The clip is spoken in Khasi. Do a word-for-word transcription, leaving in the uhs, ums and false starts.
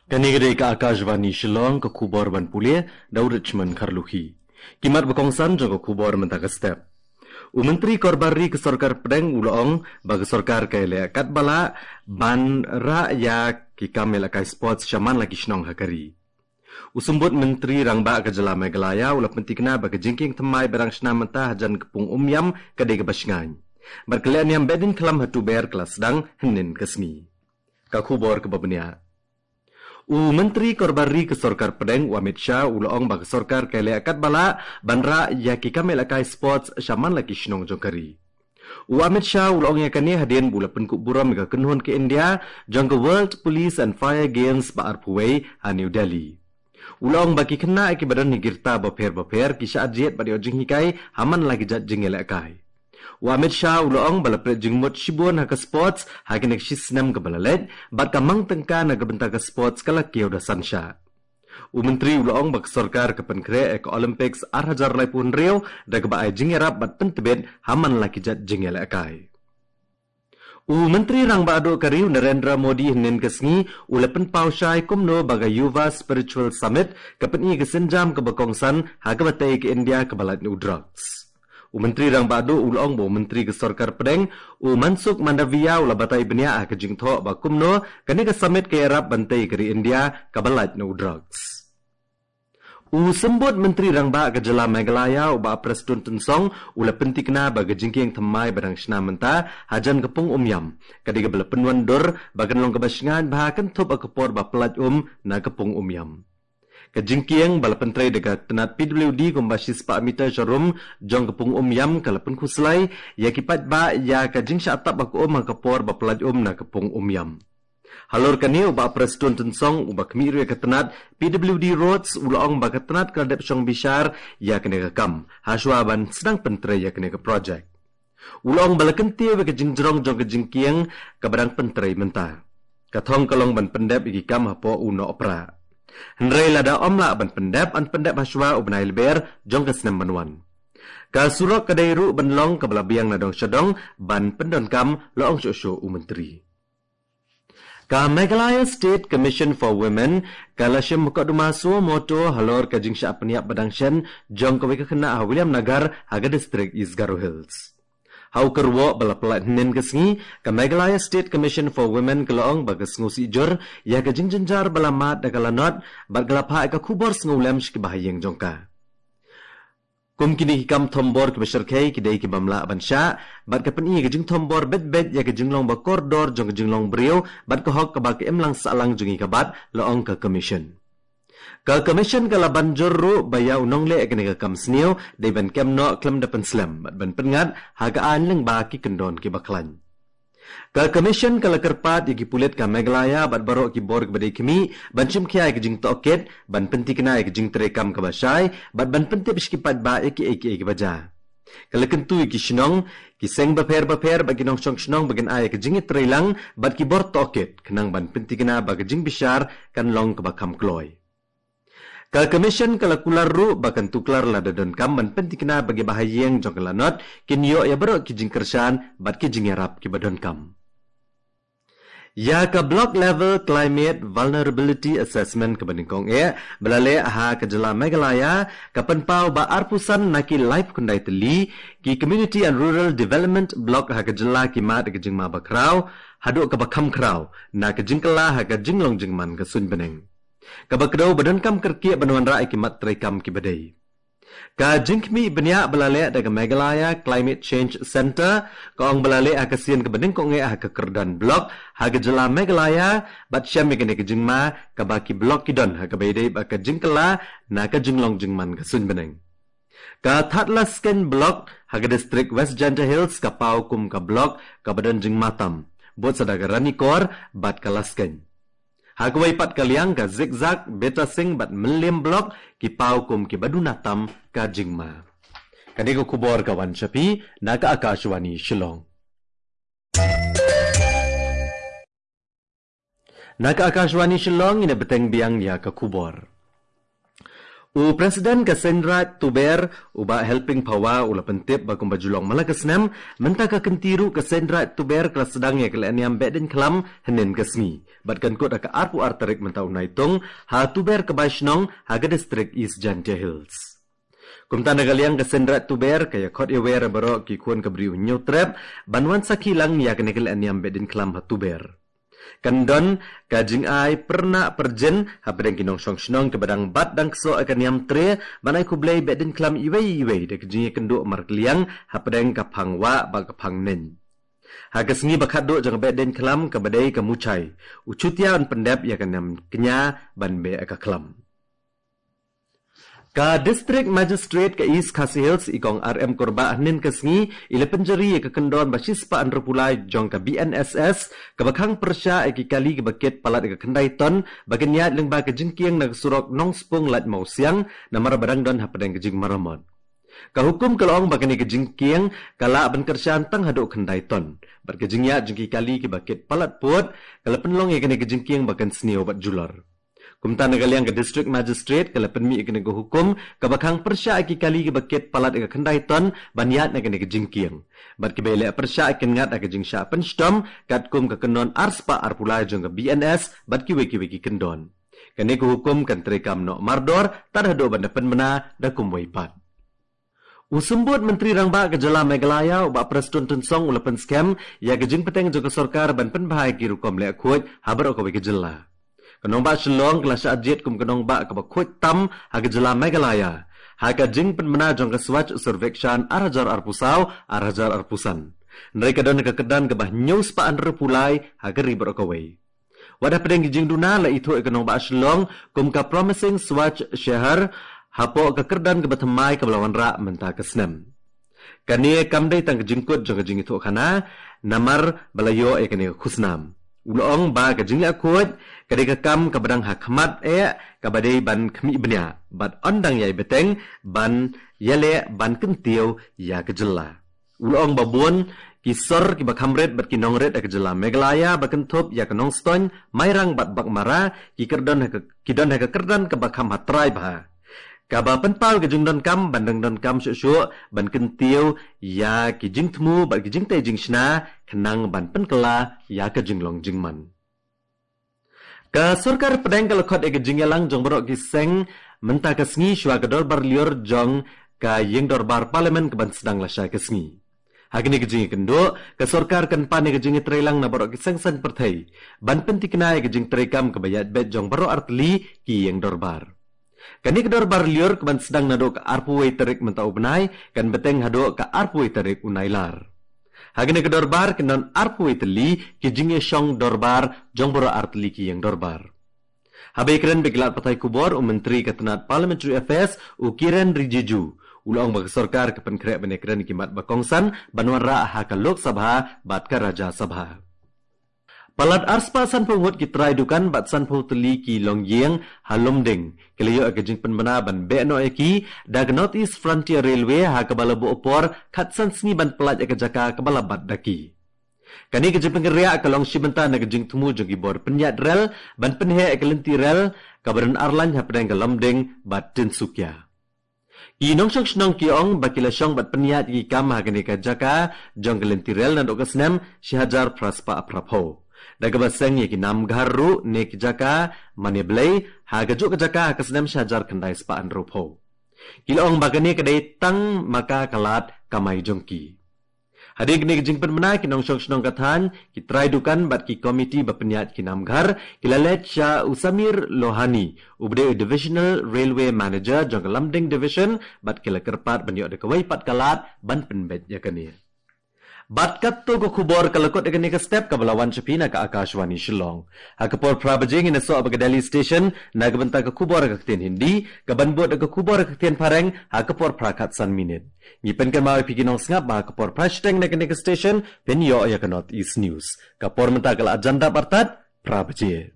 Kane ka dei ka Akashvani Shillong, ka khubor ban pule da u Richmond Kharlukhi. Ki mat ba kongsan jong ka khubor mynta ka step. U Myntri Korbar Ri ka Sorkar Pdeng u la ong ba ka sorkar ka ïaleh katba lah ban rah ïa ki kam ïalehkai sports shaman la ki shnong ha ka ri. U Symbud Myntri Rangbah ka jylla Meghalaya u la pynthikna ba ka jingkieng thymmai ba dang shna mynta hajan ka pung Umïam ka dei kaba shngaiñ. Bad ka lehniam behdeiñkhlam ha Tuber ka la sdang hynnin ka sngi. Ka khubor kaba bniah. U Myntri Korbar Ri ka Sorkar Pdeng u Amit Shah u la ong ba ka sorkar ka ïaleh katba lah ban rah ïa ki kam ïalehkai sports shaman la ki shnong jong ka ri. U Amit Shah u la ong ïa kane hadien ba u la pynkup burom ïa ka kynhun ka India jong ka World Police and Fire Games ba arphew wei ha New Delhi. U la ong ba ki khynnah kiba don ha ki rta bapher bapher ki shah jied bad ïoh jinghikai ha man la ki jait jingïalehkai. U Amit Shah u la ong ba la plie jingmut shibun ha ka sports ha kine ki shi snem kiba la leit, bad ka mang tyngka na ka bynta ka sports ka la kiew da san shah. U Myntri u la ong ba ka sorkar ka pynkhreh ïa ka Olympics ar hajar laiphew hynriew da kaba ai jingïarap bad pyntbit ha man la ki jait jingïalehkai. U Myntri Rangbah Duh ka ri u Narendra Modi hynnin ka sngi u la pynpaw shai kumno ba ka Yuva Spiritual Summit ka pyni ka sienjam kaba kongsan ha kaba tei ka India kaba lait na u drugs. U Myntri Rangbah Duh u la ong ba u Myntri ka Sorkar Pdeng u Mansukh Mandaviya u la batai bniah ha ka jingthoh ba kumno kane ka summit ka ïarap ban tei ka ri India kaba lait na u drugs. U Symbud Myntri Rangbah ka jylla Meghalaya u Bah Prestone Tynsong u la pynthikna ba ka jingkieng thymmai ba dang shna mynta hajan ka pung Umïam ka dei kaba la pynwandur ba kan long kaba shngaiñ bha kynthup ha ka por ba pyllait um na ka pung Umïam. Ka jingkieng ba la pyntrei da ka tnat P W D kumba shispah meter sharum jong ka pung Umïam ka la pynkhuslai ïa ki paidbah ïa ka jingshah tap ha ka um ha ka por ba pyllait um na ka pung Umïam. Halor kane u Bah Prestone Tynsong uba khmih ruh ïa ka tnat P W D Roads u la ong ba ka tnat ka la dep shong bishar ïa kane ka kam hashwa ban sdang pyntrei ïa kane ka projek. U la ong ba la kyntiew ïa ka jingjrong jong ka jingkieng kaba dang pyntrei mynta. Ka thong ka long ban pyndep ïa ki kam hapoh u Nohprah. Hynrei lada ym lah ban pyndep, yn pyndep hashwa u bnai Lber jong ka snem ban wan. Ka surok ka dei ruh ban long kaba la biang na dong sha dong ban pyndonkam, la ong shuh shuh u Myntri. Ka Meghalaya State Commission for Women ka la shim mukotduma suo motu halor ka jingshah pynïap ba dang shen jong kawei ka khynnah ha Williamnagar ha ka district East Garo Hills. Ha u kyrwoh ba la pyllait hynnin ka sngi, ka Meghalaya State Commission for Women ka la ong ba ka sngewsih jur ïa ka jingjynjar ba la mad da ka lanot bad ka la phah ïa ka khubor sngewlem sha ki bahaïing jong ka. Kum kine ki kam thombor kiba shyrkhei ki dei ki bym lah ban shah, bad ka pyni ka jingthombor beit beit ïa ka jinglong ba kordor jong ka jinglong briew bad ka hok kaba ka imlang sahlang jong ngi ka bat, la ong ka Commission. Ka Commission ka la ban jur ruh ba ïa u nongleh ïa kane ka kam sniew dei ban kem noh khlem da pynslem bad ban pynngat ha ka aiñ lyngba ki kyndon kiba khlaiñ. Ka Commission ka la kyrpad ïa ki pulit ka Meghalaya bad baroh ki bor kiba dei khmih ban shim khia ïa ka jingtohkit, ban pynthikna ïa ka jingtrei kam kaba shai bad ban pyntip sha ki paidbah ïa kiei kiei kiba jia. Ka la kyntu ïa ki shnong, ki seng bapher bapher bad ki nongshong shnong ba kin ai ïa ka jingïatreilang bad ki bor tohkit khnang ban pynthikna ba ka jingbishar kan long kaba kham kloi. Ka Commission ka la kular ruh ba kan tuklar lada donkam ban pynthikna ba ki bahaïing jong ka lanot kin ïoh ïa baroh ki jingkyrshan bad ki jingïarap kiba donkam. Ïa ka Block Level Climate Vulnerability Assessment kaba nyngkong eh ba la leh ha ka jylla Meghalaya ka pynpaw ba arphew san na ki laiphew khyndai tylli ki Community and Rural Development Block ha ka jylla ki mad ïa ka jingma ba khraw haduh kaba kham khraw na ka jingkylla ha ka jinglong jingman ka suiñ bneng. Kaba kdew ba donkam kyrkieh ban wanrah ïa ki mat treikam kiba dei. Ka jingkhmih bniah ba la leh da ka Meghalaya Climate Change Centre ka ong ba la leh ha ka sien kaba nyngkong eh ha ka kyrdan block ha ka jylla Meghalaya bad shem ïa kane ka jingma kaba ki block ki don ha kaba ïadei bad ka jingkylla na ka jinglong jingman ka suiñ bneng. Ka Thadlaskein Block ha ka district West Jaintia Hills ka paw kum ka block kaba don jingma tam, bud sa da ka Ranikor bad ka Laskein. Ha kawei pat ka liang ka Zikzak, Betasing bad Mylliem Block ki paw kum kiba duna tam ka jingma. Kane ka khubor ka wan sha phi na ka Akashvani Shillong. Na ka Akashvani Shillong, ngin ïa bteng biang ïa ka khubor. U President ka Seiñ Raij Tuber, u Bah Helping Phawa, u la pyntip ba kumba ju long man la ka snem, mynta ka kynti ruh ka Seiñ Raij Tuber ka la sdang ïa ka lehniam Behdeiñkhlam hynnin ka sngi. Bad kan kut ha ka arphew ar tarik mynta u Naitung, ha Tuber ka Baishnong, ha ka distrik East Jaintia Hills. Kumta na ka liang ka Seiñ Raij Tuber, ka ïa khot ïa wer baroh ki khun ka briew Hynñiewtrep, ban wan sakhi lang ïa kane ka lehniam Behdeiñkhlam ha Tuber. Kan don ka jingai pyrnah pyrjin hapdeng ki nongshong shnong kiba dang bat dang ksoh ïa ka niam tre, ban ai khublei Behdeiñkhlam iwei iwei da ka jingïakynduh markylliang hapdeng ka phang wah bad ka phang neng. Ha ka sngi ba khatduh jong ka Behdeiñkhlam kaba dei ka Muchai, u Chutia un pyndep ïa ka niam kñia ban beh ïa ka khlam. Ka District Magistrate ka East Khasi Hills, i Kong R M Kurbah, hynnin ka sngi i la pynjari ïa ka kyndon ba shispah hynriewphew lai jong ka B N S S, kaba khang pyrshah ïa ki kali kiba kit palat ïa ka khyndai ton, ba kin ïaid lyngba ka jingkieng na ka surok Nongspung Lad Mawsiang, namar ba dang don hapdeng ka jingmaramot. Ka hukum ka la ong ba kane ka jingkieng ka lah ban kyrshan tang haduh khyndai ton, bad ka jingïaid jong ki kali kiba kit palat pud ka la pynlong ïa kane ka jingkieng ba kan sniew bad julor. Kumta na ka liang ka District Magistrate ka la pynmih ïa kane ka hukum kaba khang pyrshah ïa ki kali kiba kit palat ïa ka khyndai ton ban ïaid na kane ka jingkieng. Bad kiba ïaleh pyrshah kin ngat ha ka jingshah pynshitom katkum ka kyndon arspah arphew lai jong ka B N S bad kiwei kiwei ki kyndon. Kane ka hukum kan treikam noh mardor tad haduh ban da pynbna da kumwei pat. U Symbud Myntri Rangbah ka jylla Meghalaya, u Bah Prestone Tynsong, u la pynskhem ïa ka jingpynteng jong ka sorkar ban pynbha ïa ki rukom leh khuid ha baroh kawei ka jylla. Ka nongbah Shillong ka la shah jied kum ka nongbah kaba khuid tam ha ka jylla Meghalaya ha ka jingpynbna jong ka Swachh Survekshan ar hajar arphew saw, ar hajar arphew san. Hynrei ka don ka kyrdan kaba hynñiewspah hynriewphew lai ha ka ri baroh kawei. Wat hapdeng ki jingduna, la ithuh ïa ka nongbah Shillong kum ka Promising Swachh Shehar hapoh ka kyrdan kaba thymmai kaba la wanrah mynta ka snem. Kane kam dei tang ka jingkut jong ka jingithuh khana, namar ba la ïoh ïa kane ka khusnam. U la ong ba ka jingleh khuid ka dei ka kam kaba dang ha khmat eh, kaba dei ban khmih bniah bad yn dang ïai bteng ban ïaleh ban kyntiew ïa ka jylla. U la ong ba bun ki sor kiba kham rit bad ki nongrit ha ka jylla Meghalaya ba kynthup ïa ka Nongstoiñ, Mairang bad Baghmara ki kyrdon ha ka, ki don ha ka kyrdan kaba kham hatrai bha, kaba pynpaw ïa ka jingdonkam ban dang donkam shuh shuh ban kyntiew ïa ki jingthmu bad ki jingtei jingshna khnang ban pynkylla ïa ka jinglong jingman. Ka sorkar pdeng ka la khot ïa ka jingïalang jong baroh ki seng mynta ka sngi shuwa ka dorbar lyiur jong ka ïing dorbar Parliament kaban sdang lashai ka sngi. Ha kane ka jingïakynduh, ka sorkar kan pan ïa ka jingïatreilang na baroh ki seng saiñ pyrthei ban pynthikna ïa ka jingtreikam kaba ïaid beit jong baroh artylli ki ïing dorbar. Kane ka dorbar lyiur kaban sdang naduh ka arphew wei tarik mynta u bnai kan bteng haduh ka arphew wei tarik u Nailar. Ha kane ka dorbar kin don arphew wei tylli ki jingïashong dorbar jong baroh artylli ki ïing dorbar. Haba ïakren bad ki lad pathai khubor, u Myntri ka tnat Parliamentary Affairs, u Kiren Rijiju, u la ong ba ka sorkar ka pynkhreh ban ïakren ïa ki mat ba kongsan ban wanrah ha ka Lok Sabha bad ka Rajya Sabha. Palat arspah sanphew ngut ki trai dukan bad sanphew tylli ki longïing ha Lumding ki la ïoh ïa ka jingpynbna ban beh noh ïa ki da ka North East Frontier Railway, ha kaba la buh por khatsan sngi ban pyllait ïa ka jaka kaba la bat da ki. Kane ka jingpynkynriah ka long shi bynta na ka jingthmu jong ki bor pynïaid rel ban pynheh ïa ka lynti rel kaba don ar lain hapdeng ka Lumding bad Tinsukia. Ki nongshong shnong ki ong ba ki la shong bad pynïaid ïa ki kam ha kane ka jaka jong ka lynti rel naduh ka snem shi hajar phra spah phra phew, da kaba seng ïa ki namghar ruh ne ki jaka mane blei ha kajuh ka jaka ha ka snem shi hajar khyndai spah hynriew phew. Ki la ong ba kane ka dei tang ma ka ka lad kamai jong ki. Hadien kane ka jingpynbna, ki nongshong shnong ka thaiñ, ki trai dukan bad ki komiti ba pynïaid ki namghar ki la leit sha u Samir Lohani, uba dei u Divisional Railway Manager jong ka Lumding Division, bad ki la kyrpad ban ïoh da kawei pat ka lad ban pynbeit ïa kane. Bad katto ka khubor ka la kut ïa kane ka step kaba la wan sha phi na ka Akashvani Shillong. Ha ka por phra baje ngin ïasoh bad ka Delhi Station na ka bynta ka khubor ha ka ktien Hindi, kaban bud da ka khubor ha ka ktien Phareng ha ka por phra khatsan minit. Ngi pynkynmaw ïa phi ki nongsngap ba ha ka por phra shiteng na kane ka station phin ïoh ïa ka North East News. Ka por mynta ka la jan dap artat, phra baje.